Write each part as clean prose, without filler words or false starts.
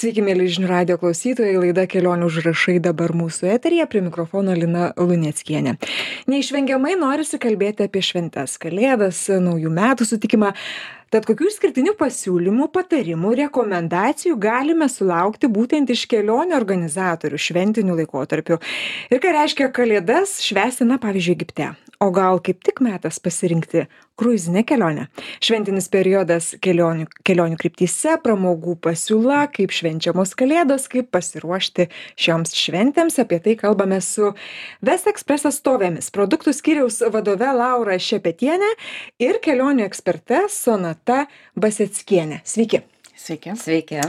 Sveiki, mėly žinių radio klausytojai, laida Kelionių užrašai dabar mūsų eteryje, prie mikrofono Lina Luneckienė. Neišvengiamai norisi kalbėti apie šventes, kalėdas, naujų metų sutikimą. Tad kokių išskirtinių pasiūlymų, patarimų, rekomendacijų galime sulaukti būtent iš kelionių organizatorių šventiniu laikotarpiu? Ir ką reiškia kalėdas švęsti, pavyzdžiui, Egipte? O gal kaip tik metas pasirinkti kruizinę kelionę? Šventinis periodas kelionių kryptyse, pramogų pasiūla, kaip švenčiamos kalėdos, kaip pasiruošti šioms šventėms. Apie tai kalbame su West Express atstovėmis, produktų skyriaus vadove Laura Šepetienė ir kelionių eksperte Sonata Baseckienė. Sveiki. Sveiki. Sveiki.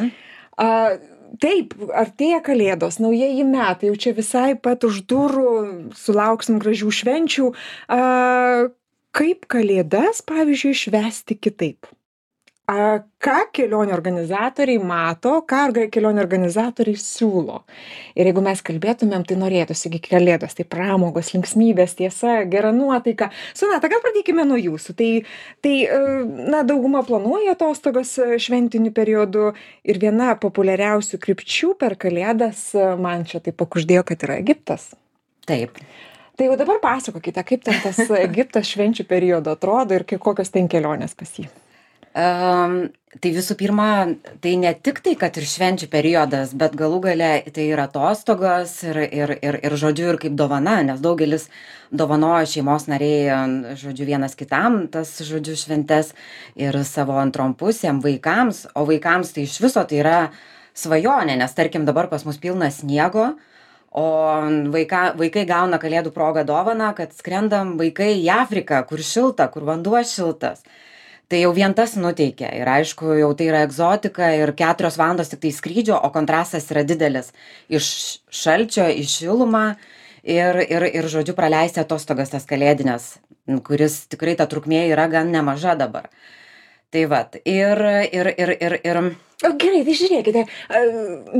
Taip, artėja kalėdos, naujieji metai, jau čia visai pat už durų, sulauksim gražių švenčių. Kaip kalėdas, pavyzdžiui, švęsti kitaip? Ką kelionių organizatoriai mato, ką kelionių organizatoriai siūlo? Ir jeigu mes kalbėtumėm, tai norėtųsi iki kalėdos, tai pramogos, linksmybės, tiesa, gera nuotaika. Sonata, gal pradėkime nuo jūsų. Dauguma planuoja atostogas šventiniu periodu ir viena populiariausių krypčių per kalėdas, man čia taip pakuždėjo, kad yra Egiptas. Taip. Tai jau dabar pasakokite, kaip ten tas Egiptas švenčių periodo atrodo ir kokios ten kelionės pas jį. Tai visų pirma, tai ne tik tai, kad ir švenčių periodas, bet galų gale tai yra atostogos ir žodžiu, ir kaip dovana, nes daugelis dovanoja šeimos nariai, žodžiu, vienas kitam tas, žodžiu, šventes ir savo antrom pusėm vaikams, o vaikams tai iš viso tai yra svajonė, nes tarkim dabar pas mus pilna sniego, o vaikai gauna kalėdų progą dovaną, kad skrendam vaikai į Afriką, kur šilta, kur vanduo šiltas. Tai jau vien tas nuteikia ir aišku, jau tai yra egzotika ir 4 valandos tik tai skrydžio, o kontrastas yra didelis iš šalčio į šilumą ir žodžiu, praleisti atostogas tas kalėdinės, kuris tikrai ta trukmė yra gan nemaža dabar. Tai vat, Gerai, tai žiūrėkite,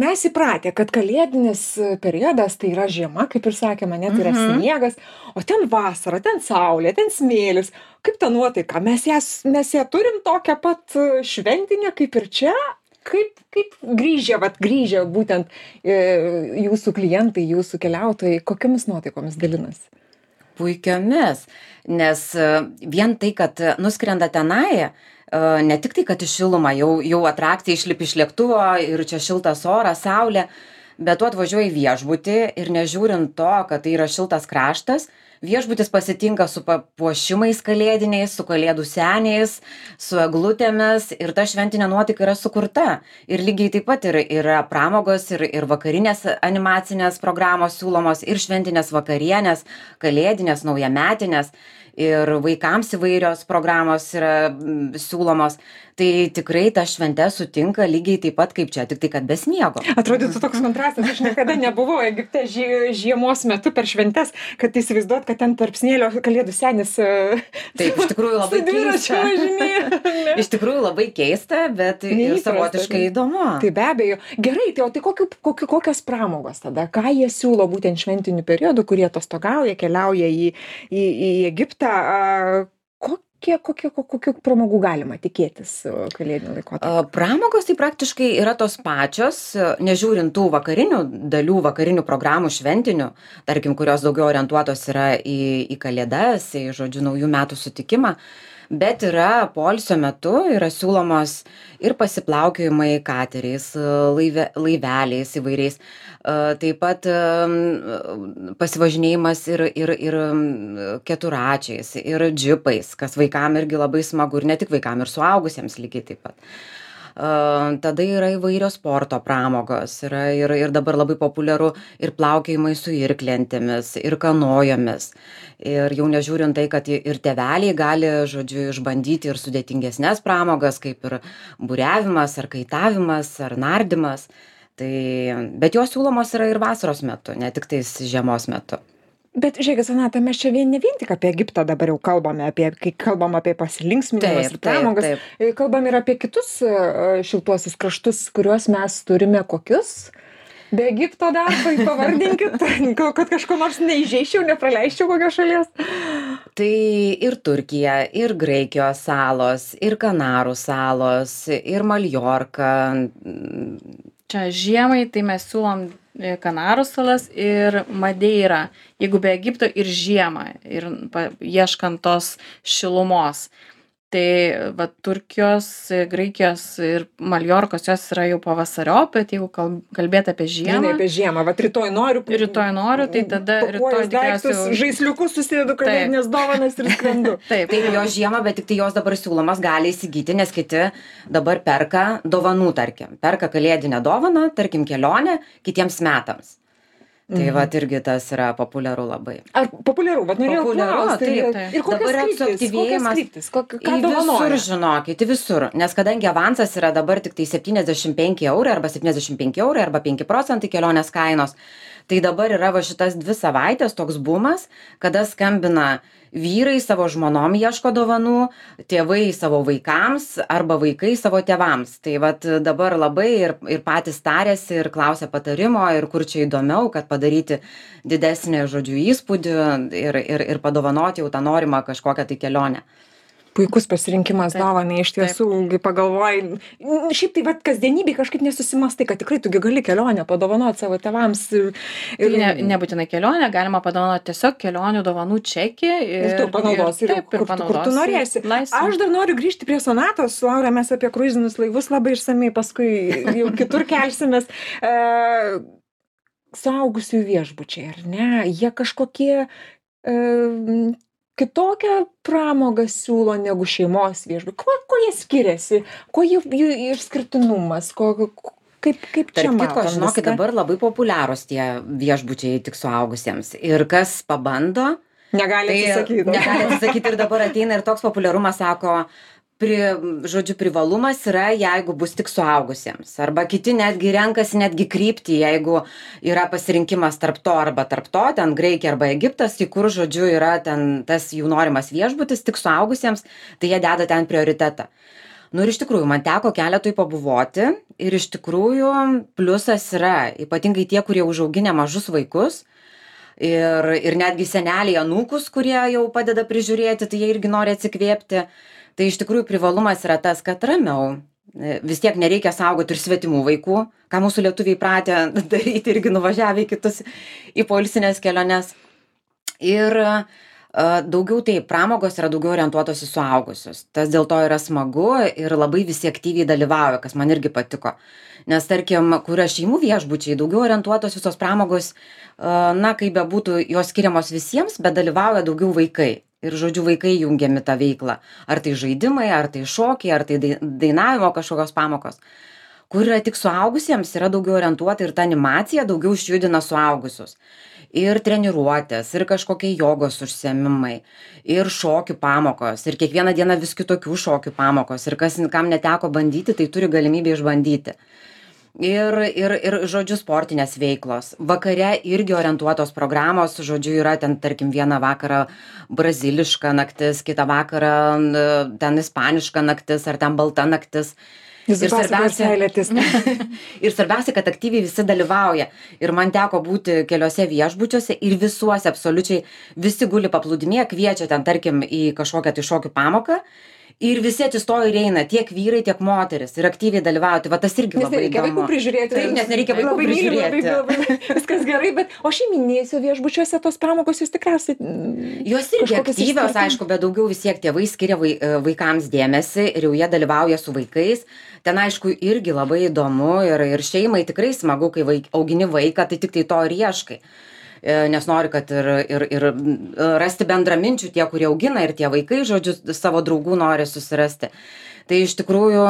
mes įpratę, kad kalėdinis periodas tai yra žiema, kaip ir sakėme, net yra sniegas, o ten vasara, ten saulė, ten smėlis. Kaip ta nuotaika? Mes ją turim tokią pat šventinę kaip ir čia? Kaip grįžę būtent jūsų klientai, jūsų keliautojai, kokiamis nuotaikomis dalinasi? Puikiomis, nes vien tai, kad nuskrenda tenai, ne tik tai, kad į šilumą, jau atrakcija išlipi iš lėktuvo ir čia šiltas oras, saulė, bet tu atvažiuoji į viešbutį ir nežiūrint to, kad tai yra šiltas kraštas, viešbutis pasitinka su papuošimais kalėdiniais, su kalėdų seniais, su eglutėmis ir ta šventinė nuotaika yra sukurta. Ir lygiai taip pat yra pramogos ir vakarinės animacinės programos siūlomos ir šventinės vakarienės, kalėdinės, naujametinės. Ir vaikams įvairios programos yra siūlomos, tai tikrai ta šventė sutinka lygiai taip pat kaip čia, tik tai kad be sniego. Atrodytų toks kontrastas, aš niekada nebuvau Egipte žiemos metu per šventes, kad įsivaizduot, kad ten tarp smėlio kalėdų senis. Taip, iš tikrųjų labai keista. Iš tikrųjų labai keista, bet ir savotiškai įdomu. Tai be abejo. Gerai, tai kokios pramogos tada? Ką jie siūlo būtent šventiniu periodu, kurie atostogauja, keliauja į Egiptą? Kokių pramogų galima tikėtis kalėdiniu laikotarpiu? Pramogos tai praktiškai yra tos pačios, nežiūrint tų vakarinių programų šventinių, tarkim, kurios daugiau orientuotos yra į kalėdas, į žodžiu naujų metų sutikimą, bet yra poilsio metu, yra siūlomos ir pasiplaukiojimai kateriais, laiveliais įvairiais, taip pat pasivažinėjimas ir keturačiais, ir džipais, kas vaikam irgi labai smagu, ir ne tik vaikam, ir suaugusiems lygiai taip pat. Tada yra įvairios sporto pramogos, yra ir dabar labai populiaru ir plaukiojimai su irklentėmis, ir kanojomis. Ir jau nežiūrint tai, kad ir tėveliai gali, žodžiu, išbandyti ir sudėtingesnės pramogas, kaip ir buriavimas, ar kaitavimas, ar nardymas. Bet jos siūlomos yra ir vasaros metu, ne tik tais žiemos metu. Bet žiūrėkit, Sonata, mes čia ne vien tik apie Egiptą dabar jau kalbame, kai kalbam apie pasilinksminimus ir pramogas, kalbam ir apie kitus šiltuosius kraštus, kuriuos mes turime kokius? Be Egipto dar, pavardinkit, kad kažko nors neįžeičiau, nepraleisčiau kokios šalies. Tai ir Turkija, ir Graikijos salos, ir Kanarų salos, ir Maljorka. Čia žiemai, tai mes siūlom Kanarų salas ir Madeirą, jeigu be Egipto ir žiemą, ir ieškant tos šilumos. Tai va Turkijos, Graikijos ir Maljorkos jos yra jau pavasariop, bet jeigu kalbėti apie žiemą. Ne, apie žiemą, va rytoj noriu. Rytoj noriu, tai tada rytoj tikriausiai žaisliukus susidedu kalėdinės dovanas ir skrendu. Taip, jos žiemą, bet tik tai jos dabar siūlomas gali įsigyti, nes kiti dabar perka dovanų, tarkim. Perka kalėdinę dovaną, tarkim kelionę kitiems metams. Tai vat irgi tas yra populiaru labai. Ar populiaru? Vat norėjau klausti. Taip. Ir kokios kryptys? Ką dovanoja? Visur, žinokit, visur. Nes kadangi avansas yra dabar tik tai 75 eurai arba 75 eurai arba 5% kelionės kainos, tai dabar yra va šitas 2 savaitės toks bumas, kada skambina vyrai savo žmonom ieško dovanų, tėvai savo vaikams arba vaikai savo tėvams. Tai vat dabar labai ir patys tarėsi ir klausia patarimo ir kur čia įdomiau, kad padaryti didesnį, žodžiu, įspūdį ir padovanoti jau tą norimą kažkokią tai kelionę. Puikus pasirinkimas dovanai, iš tiesų, kai pagalvoji, šiaip tai vat kasdienybėj kažkaip nesusimastai, kad tikrai tugi gali kelionę padovanoti savo tėvams. Tai nebūtinai kelionę, galima padovanoti tiesiog kelionių dovanų čekį. Ir tu panaudosi, kur tu norėsi. Aš dar noriu grįžti prie Sonatos, Laura, mes apie kruizinius laivus labai išsamei, paskui jau kitur kelsimės. Suaugusiųjų viešbučiai, ar ne? Jie kažkokie kitokią pramogą siūlo negu šeimos viešbučiai. Kuo jie skiriasi? Kuo jų išskirtinumas? Kaip čia matom? Žinokit, dabar labai populiarūs tie viešbučiai tik suaugusiems. Ir kas pabando, negali atsisakyti ir dabar ateina ir toks populiarumas, sako, žodžiu, privalumas yra, jeigu bus tik suaugusiems. Arba kiti netgi renkasi netgi kryptį, jeigu yra pasirinkimas tarp to arba tarp to, ten Graikija arba Egiptas, į kur, žodžiu, yra ten tas jų norimas viešbutis tik suaugusiems, tai jie deda ten prioritetą. Nu ir iš tikrųjų, man teko keletui pabuvoti ir iš tikrųjų pliusas yra, ypatingai tie, kurie užauginę mažus vaikus ir netgi seneliai anūkus, kurie jau padeda prižiūrėti, tai jie irgi nori atsikvėpti. Tai iš tikrųjų privalumas yra tas, kad ramiau, vis tiek nereikia saugoti ir svetimų vaikų, ką mūsų lietuviai pratę daryti irgi nuvažiavę į poilsinės keliones. Ir daugiau tai pramogos yra daugiau orientuotos į suaugusius. Tas dėl to yra smagu ir labai visi aktyviai dalyvauja, kas man irgi patiko. Nes tarkim, kur yra šeimų viešbučiai, daugiau orientuotos visos pramogos, na, kaip bebūtų, jos skiriamos visiems, bet dalyvauja daugiau vaikai. Ir, žodžiu, vaikai jungiami tą veiklą. Ar tai žaidimai, ar tai šokiai, ar tai dainavimo kažkokios pamokos. Kur yra tik suaugusiems, yra daugiau orientuota ir ta animacija daugiau išjudina suaugusius. Ir treniruotės, ir kažkokie jogos užsiėmimai, ir šokių pamokos, ir kiekvieną dieną vis kitokių šokių pamokos. Ir kam neteko bandyti, tai turi galimybę išbandyti. Ir žodžiu, sportinės veiklos. Vakare irgi orientuotos programos, žodžiu, yra ten, tarkim, vieną vakarą braziliška naktis, kitą vakarą ten ispaniška naktis, ar ten balta naktis. Ir svarbiausia, kad aktyviai visi dalyvauja. Ir man teko būti keliose viešbučiuose ir visuose absoliučiai visi guli paplūdimyje, kviečia ten, tarkim, į kažkokią tai šokių pamoką. Ir visi atsistoja ir eina, tiek vyrai, tiek moteris. Ir aktyviai dalyvauti. Va tas irgi labai įdomu. Nes nereikia vaikų prižiūrėti. Taip, nes nereikia vaikų prižiūrėti. Labai viskas gerai, bet o šeiminėse viešbučiuose tos pramogos jūs tikriausiai... Jos irgi aktyvios, aišku, bet daugiau vis tiek tėvai skiria vaikams dėmesį ir jau jie dalyvauja su vaikais. Ten, aišku, irgi labai įdomu ir šeimai tikrai smagu, kai augini vaiką, tai tik tai to ir ieškai. Nes nori, kad ir rasti bendraminčių tie, kurie augina, ir tie vaikai, žodžiu, savo draugų nori susirasti. Tai iš tikrųjų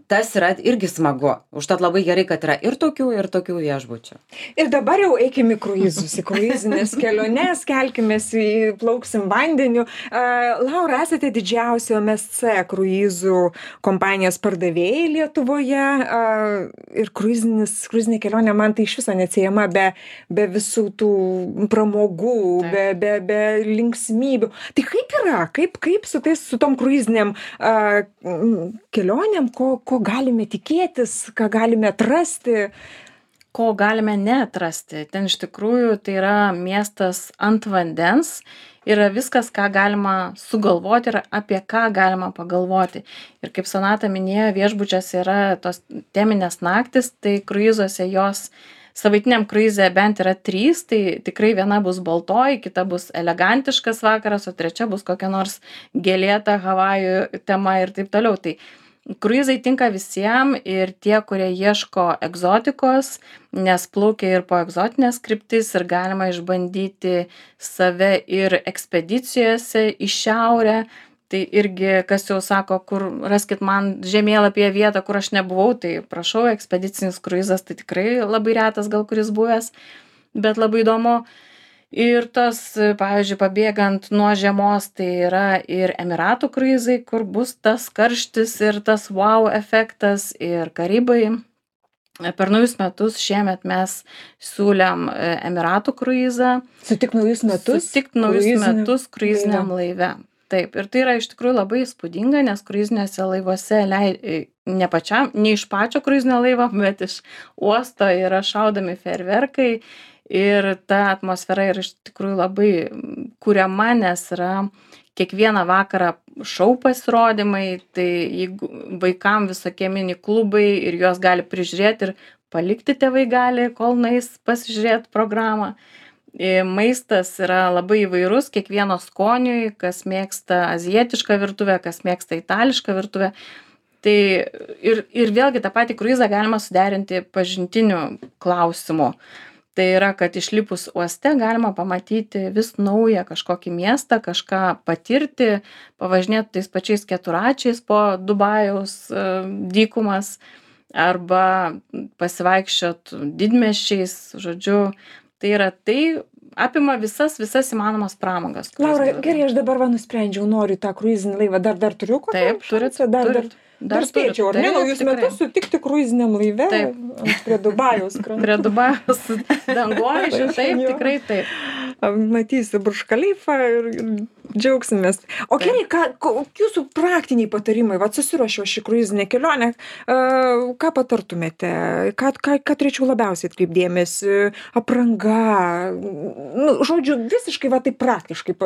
tas yra irgi smagu. Užtat labai gerai, kad yra ir tokių viešbučių. Ir dabar jau eikime į kruizus, į kruizinės keliones, kelkimės, plauksim vandeniu. Laura, esate didžiausio MSC kruizų kompanijos pardavėjai Lietuvoje. Ir kruizinė kelionė man tai iš viso neatsiejama be visų tų pramogų, be linksmybių. Tai kaip yra? Kaip su tom kruizinėm kelionėm, ko galime tikėtis, ką galime atrasti? ko galime neatrasti. Ten iš tikrųjų tai yra miestas ant vandens, yra viskas, ką galima sugalvoti ir apie ką galima pagalvoti. Ir kaip Sonata minėjo, viešbučiuose yra tos teminės naktis, tai kruizuose jos savaitiniam kruize bent yra 3, tai tikrai viena bus baltoji, kita bus elegantiškas vakaras, o trečia bus kokia nors gėlėta Havajų tema ir taip toliau. Tai kruizai tinka visiem ir tie, kurie ieško egzotikos, nes plaukia ir po egzotinės kryptis ir galima išbandyti save ir ekspedicijose į šiaurę. Tai irgi, kas jau sako, kur raskit man žemėlapyje vietą, kur aš nebuvau, tai prašau, ekspedicinis kruizas, tai tikrai labai retas gal kuris buvęs, bet labai įdomu. Ir tas, pavyzdžiui, pabėgant nuo žiemos, tai yra ir Emiratų kruizai, kur bus tas karštis ir tas wow efektas, ir Karibai. Per naujus metus šiemet mes siūlėm Emiratų kruizą. Sutikt naujus metus? Sutikt naujus metus kruiziniam laive. Taip, ir tai yra iš tikrųjų labai įspūdinga, nes kruiziniuose laivuose ne iš pačio kruizinio laivo, bet iš uosto yra šaudomi fejerverkai ir ta atmosfera yra iš tikrųjų labai kuriama, nes yra kiekvieną vakarą šou pasirodymai, tai jeigu vaikam visokie mini klubai ir juos gali prižiūrėti ir palikti tėvai gali, kol nueis pasižiūrėti programą. Maistas yra labai įvairus, kiekvieno skoniui, kas mėgsta azijietišką virtuvę, kas mėgsta itališką virtuvę. Tai ir vėlgi tą patį kruizą galima suderinti pažintiniu klausimu. Tai yra, kad išlipus uoste galima pamatyti vis naują kažkokį miestą, kažką patirti, pavažinėti tais pačiais keturračiais po Dubajaus dykumas arba pasivaikščiot didmiesčiais, žodžiu. Tai apima visas įmanomas pramogas. Laura, gerai, aš dabar nusprendžiau, noriu tą kruizinį laivą. Dar turiu kokią? Taip, turit. Dar spėčiau, ar ne, naujus metus sutikti kruiziniam laive prie Dubajaus krantų. Prie Dubajaus dangoraižių, taip, tikrai taip. Matysiu Burj Khalifą ir džiaugsimės. O gerai, jūsų praktiniai patarimai, susiruošiau šį kruizinę kelionę, ką patartumėte, ką turėčiau labiausiai atkreipdėmėsi, apranga, žodžiu, visiškai taip praktiškai,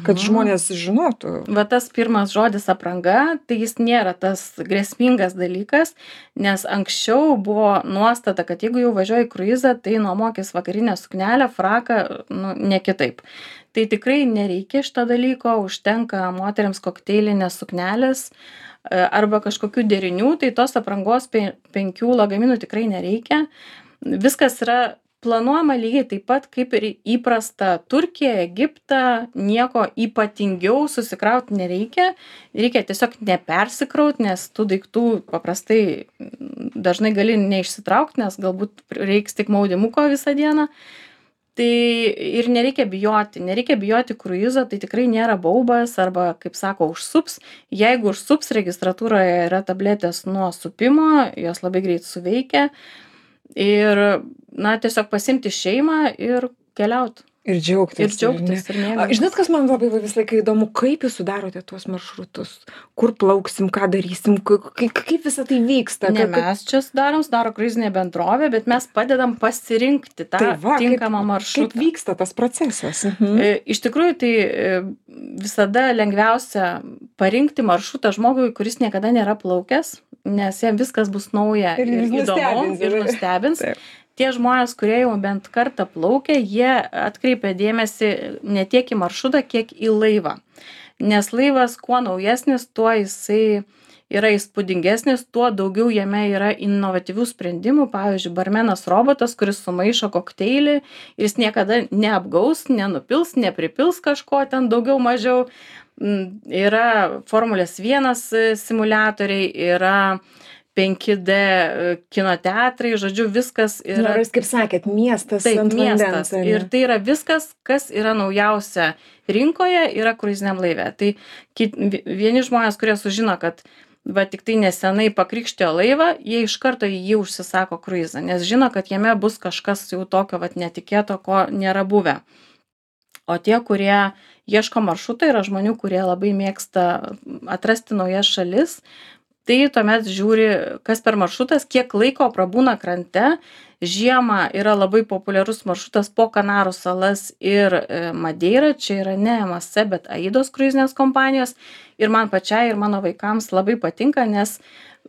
kad žmonės žinotų. Tas pirmas žodis apranga, tai jis nėra tas grėsmingas dalykas, nes anksčiau buvo nuostata, kad jeigu jau važiuoji į kruizą, tai nuomokis vakarinę suknelę, fraką, ne kitaip. Tai tikrai nereikia šito dalyko, užtenka moteriams kokteilinės suknelės arba kažkokių derinių, tai tos aprangos 5 lagaminų tikrai nereikia. Viskas yra planuojama lygiai taip pat kaip ir įprasta Turkija, Egiptą, nieko ypatingiau susikrauti nereikia. Reikia tiesiog nepersikrauti, nes tų daiktų paprastai dažnai gali neišsitraukti, nes galbūt reiks tik maudymuko visą dieną. Tai ir nereikia bijoti kruizo, tai tikrai nėra baubas arba, kaip sako, užsups. Jeigu užsups, registratūroje yra tabletės nuo supimo, jos labai greit suveikia. Ir, tiesiog pasimti šeimą ir keliauti. Ir džiaugtis. Ir mėgautis. Žinot, kas man labai visą laiką įdomu, kaip jūs sudarote tuos maršrutus, kur plauksim, ką darysim, kaip visą tai vyksta. Ne mes čia sudaro kruizinė bendrovė, bet mes padedam pasirinkti tą tinkamą maršrutą. Kaip vyksta tas procesas? Iš tikrųjų, tai visada lengviausia parinkti maršrutą žmogui, kuris niekada nėra plaukęs, nes jam viskas bus nauja ir įdomu ir nustebins. Tie žmonės, kurie jau bent kartą plaukia, jie atkreipia dėmesį ne tiek į maršrutą, kiek į laivą. Nes laivas kuo naujesnis, tuo jisai yra įspūdingesnis, tuo daugiau jame yra inovatyvių sprendimų. Pavyzdžiui, barmenas robotas, kuris sumaišo kokteilį ir jis niekada neapgaus, nenupils, nepripils kažko ten daugiau mažiau. Yra Formulės 1 simuliatoriai, yra 5D kino teatrai, žodžiu, viskas yra. Kaip sakėt, miestas ant vandens. Ir tai yra viskas, kas yra naujausia rinkoje, yra kruiziniam laive. Tai vieni žmonės, kurie sužino, kad tik tai nesenai pakrikštijo laivą, jie iš karto jį užsisako kruizą, nes žino, kad jame bus kažkas jau tokio netikėto, ko nėra buvę. O tie, kurie ieško maršruto, yra žmonių, kurie labai mėgsta atrasti naujas šalis. tai tuomet žiūri, kas per maršrutas, kiek laiko prabūna krante. Žiemą yra labai populiarus maršrutas po Kanarų salas ir Madeirą. Čia yra ne MSC, bet Aidos kruizinės kompanijos. Ir man pačiai ir mano vaikams labai patinka, nes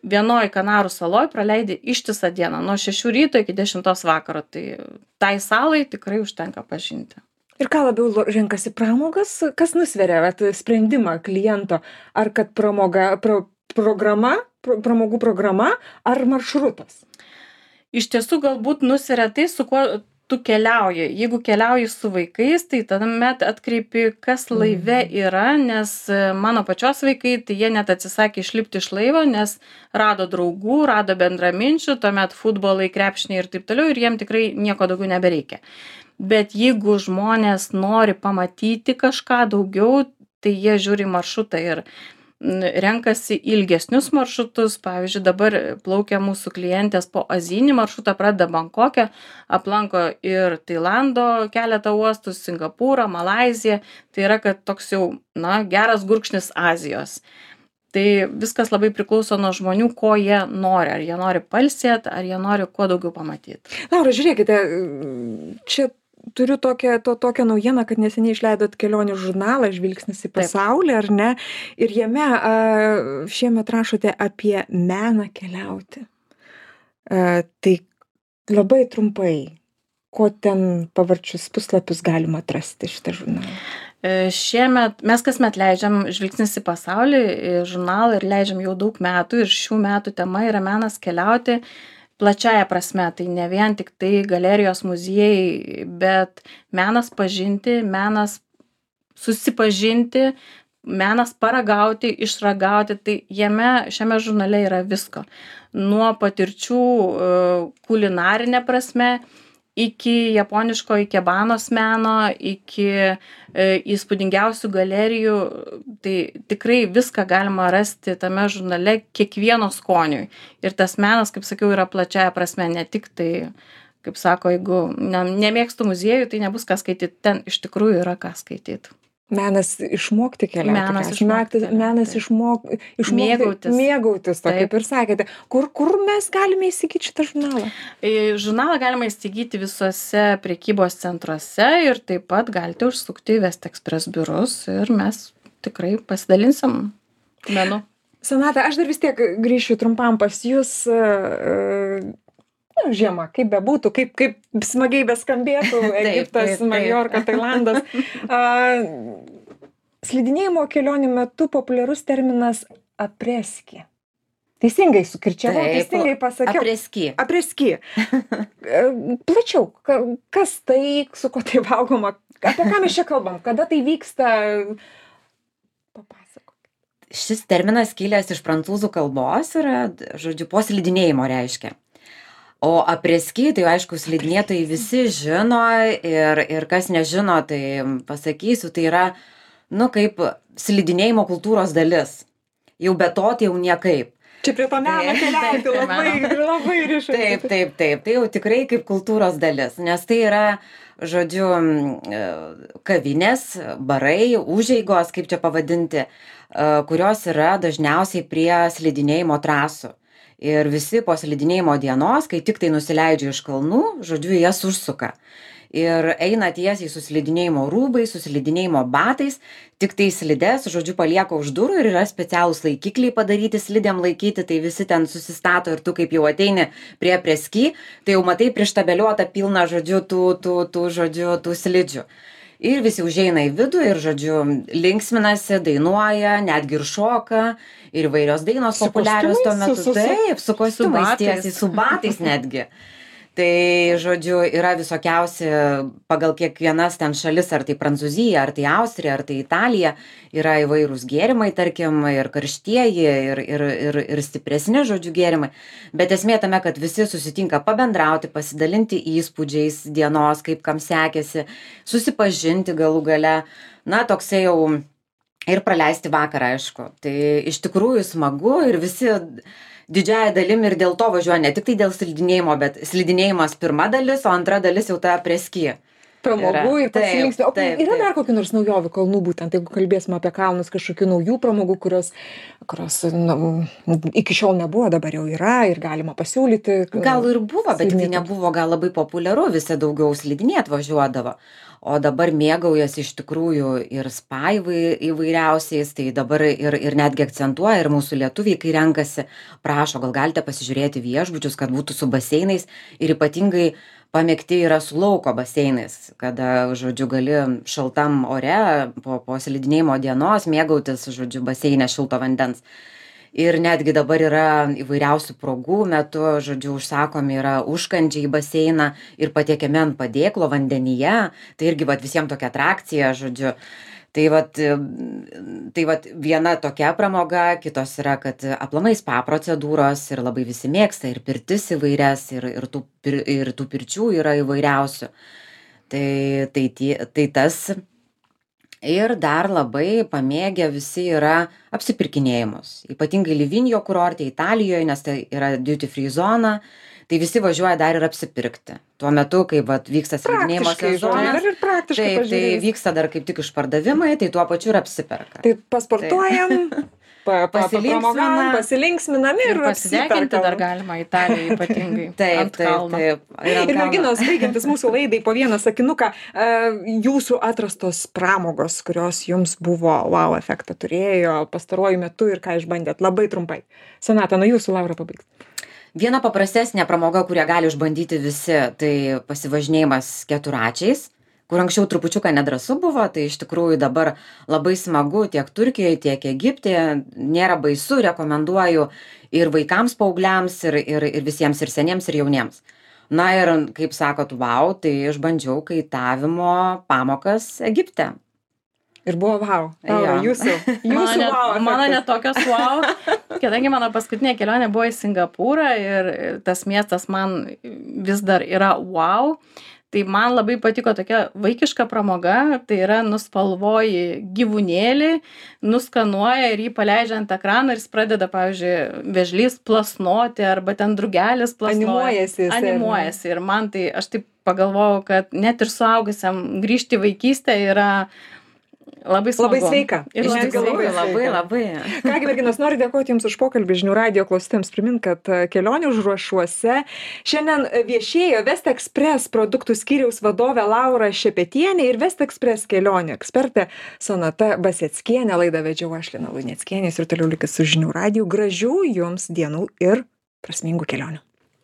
vienoj Kanarų saloj praleidi ištisą dieną, nuo 6 ryto iki 10 vakaro. Tai salai tikrai užtenka pažinti. Ir ką labiau renkasi pramogas, kas nusveria sprendimą kliento, ar kad pramogų programa ar maršrutas? Iš tiesų galbūt nusveria tai, su kuo tu keliauji. Jeigu keliauji su vaikais, tai tuomet atkreipi, kas laive yra, nes mano pačios vaikai, tai jie net atsisakė išlipti iš laivo, nes rado draugų, rado bendraminčių, tuomet futbolai, krepšiniai ir taip toliau, ir jiem tikrai nieko daugiau nebereikia. Bet jeigu žmonės nori pamatyti kažką daugiau, tai jie žiūri maršrutą ir renkasi ilgesnius maršrutus. Pavyzdžiui, dabar plaukia mūsų klientės po azijinį maršrutą, pradeda Bankoke, aplanko ir Tailando keletą uostų, Singapūrą, Malaiziją. Tai yra, kad toks jau, geras gurkšnis Azijos. Tai viskas labai priklauso nuo žmonių, ko jie nori. Ar jie nori pailsėti, ar jie nori kuo daugiau pamatyti. Laura, žiūrėkite, čia turiu tokią naujieną, kad neseniai išleidot kelionių žurnalą Žvilgsnis į pasaulį, ar ne? Ir jame šiemet rašote apie meną keliauti. Tai labai trumpai, ko ten pavarčius puslapius galima atrasti šitą žurnalą? Šiemet, mes kasmet leidžiam Žvilgsnis į pasaulį žurnalą ir leidžiam jau daug metų, ir šių metų tema yra menas keliauti plačiaja prasme. Tai ne vien tik tai galerijos, muziejai, bet menas pažinti, menas susipažinti, menas paragauti, išragauti. Tai šiame žurnale yra visko. Nuo patirčių kulinarinė prasme, iki japoniško ikebanos meno, iki įspūdingiausių galerijų. Tai tikrai viską galima rasti tame žurnale kiekvieno skoniui. Ir tas menas, kaip sakiau, yra plačiaja prasme, ne tik tai, kaip sako, jeigu nemėgstu muziejų, tai nebus ką skaityti. Ten iš tikrųjų yra ką skaityti. Menas išmokti keliauti. Menas išmokti mėgautis, to, kaip ir sakėte. Kur mes galime įsigyti šitą žurnalą? Žurnalą galima įsigyti visuose prekybos centruose ir taip pat galite užsukti į Vestexpress biurus ir mes tikrai pasidalinsim menu. Sonata, aš dar vis tiek grįšiu trumpam pas jūs. Žiema, kaip bebūtų, kaip smagiai beskambėtų Egiptas, Majorka, Tailandas. Slidinėjimo kelionių metu populiarus terminas apreski. Teisingai sukirčiavau, teisingai pasakiau. Apreski. Plačiau, kas tai, su ko tai valgoma, apie ką mes čia kalbam, kada tai vyksta, papasakok. Šis terminas kilęs iš prancūzų kalbos yra, žodžiu, po slidinėjimo reiškia. O apreski, tai aišku, slidinėtojai visi žino ir kas nežino, tai pasakysiu, tai yra, kaip slidinėjimo kultūros dalis. Jau be to, tai jau niekaip. Čia prie to meno keliauti labai rišai. Taip, tai jau tikrai kaip kultūros dalis, nes tai yra, žodžiu, kavinės, barai, užeigos, kaip čia pavadinti, kurios yra dažniausiai prie slidinėjimo trasų. Ir visi po slidinėjimo dienos, kai tik tai nusileidžia iš kalnų, žodžiu, jas užsuka. Ir eina tiesiai su slidinėjimo rūbais, su slidinėjimo batais, tik tai slides, žodžiu, palieka už durų ir yra specialūs laikikliai padaryti slidėm laikyti, tai visi ten susistato ir tu kaip jau ateini prie apreski, tai jau matai prištabeliuotą pilną, žodžiu, tų slidžių. Ir visi užeina į vidų ir, žodžiu, linksminasi, dainuoja, netgi ir šoka, ir įvairios dainos populiarios tuo metu. Taip, su kostiumais tiesiai, su batais netgi. Tai, žodžiu, yra visokiausi pagal kiekvienas ten šalis, ar tai Prancūzija, ar tai Austrija, ar tai Italija, yra įvairūs gėrimai, tarkim, ir karštieji, ir stipresni, žodžiu, gėrimai. Bet esmė tame, kad visi susitinka pabendrauti, pasidalinti įspūdžiais dienos, kaip kam sekėsi, susipažinti galų gale, toksai jau ir praleisti vakarą, aišku. Tai iš tikrųjų smagu ir visi didžiąja dalim ir dėl to važiuoja, ne tik tai dėl slidinėjimo, bet slidinėjimas pirma dalis, o antra dalis jau ta apreski. pramogų ir pasilinksmint. O yra dar kokių nors naujovių kalnų, būtent jeigu kalbėsime apie kalnus, kažkokių naujų pramogų, kurios iki šiol nebuvo, dabar jau yra ir galima pasiūlyti. Gal ir buvo, bet tai nebuvo gal labai populiaru, visi daugiau slidinėt važiuodavo. O dabar mėgaujasi iš tikrųjų ir spa įvairiausiais, tai dabar ir netgi akcentuoja ir mūsų lietuviai, kai renkasi, prašo, gal galite pasižiūrėti viešbučius, kad būtų su baseinais ir ypatingai pamėgti yra su lauko baseinais, kada, žodžiu, gali šaltam ore po slidinėjimo dienos mėgautis, žodžiu, baseine šilto vandens. Ir netgi dabar yra įvairiausių progų metu, žodžiu, užsakomi yra užkandžiai į baseiną ir patiekiami ant padėklo vandenyje. Tai irgi visiems tokia atrakcija, žodžiu. Tai viena tokia pramoga, kitos yra, kad aplamai spa procedūros ir labai visi mėgsta ir pirtis įvairias, ir tų pirčių yra įvairiausių. Tai tas. Ir dar labai pamėgę visi yra apsipirkinėjimus. Ypatingai Livigno kurorte Italijoje, nes tai yra duty free zona, tai visi važiuoja dar ir apsipirkti. Tuo metu, kai vyksta slidinėjimo sezonas, tai vyksta dar kaip tik išpardavimai, tai tuo pačiu ir apsiperka. Tai pasportuojam, pasilinksminam ir pasideginti dar galima Italijoje ypatingai. Taip. Ir merginos, baigiantis mūsų laidai, po vieną sakinuką, jūsų atrastos pramogos, kurios jums buvo wow efektą turėjo pastaruoju metu ir ką išbandėt, labai trumpai. Sonata, nuo jūsų, Laura, pabaigs. Viena paprastesnė pramoga, kurią gali išbandyti visi, tai pasivažinėjimas keturračiais, kur anksčiau trupučiuką nedrąsu buvo, tai iš tikrųjų dabar labai smagu tiek Turkijoje, tiek Egipte, nėra baisu, rekomenduoju ir vaikams, paaugliams, ir visiems, ir seniems, ir jauniems. Na ir, kaip sakot, wow, tai išbandžiau kaitavimo pamokas Egipte. Ir buvo wow. Jūsų wow. Mano netokios wow, kadangi mano paskutinė kelionė buvo į Singapūrą ir tas miestas man vis dar yra wow. Tai man labai patiko tokia vaikiška pramoga, tai yra nuspalvoji gyvūnėlį, nuskanuoja ir jį paleidžia ant ekrano ir jis pradeda, pavyzdžiui, vėžlys plasnoti arba ten drugelis plasnoja. Animuojasi. Ir man tai, aš taip pagalvojau, kad net ir suaugusiam grįžti į vaikystę yra labai smagu. Labai sveika. Ir labai. Kągi, merginos, noriu dėkoti Jums už pokalbį. Žinių radijo klausytojams primint, kad kelionių užrašuose šiandien viešėjo West Express produktų skyriaus vadovė Laura Šepetienė ir West Express kelionių ekspertė Sonata Baseckienė. Laidą vedžiau aš, Lina Luneckienė, ir toliau likit su Žinių radiju. Gražių Jums dienų ir prasmingų kelionių.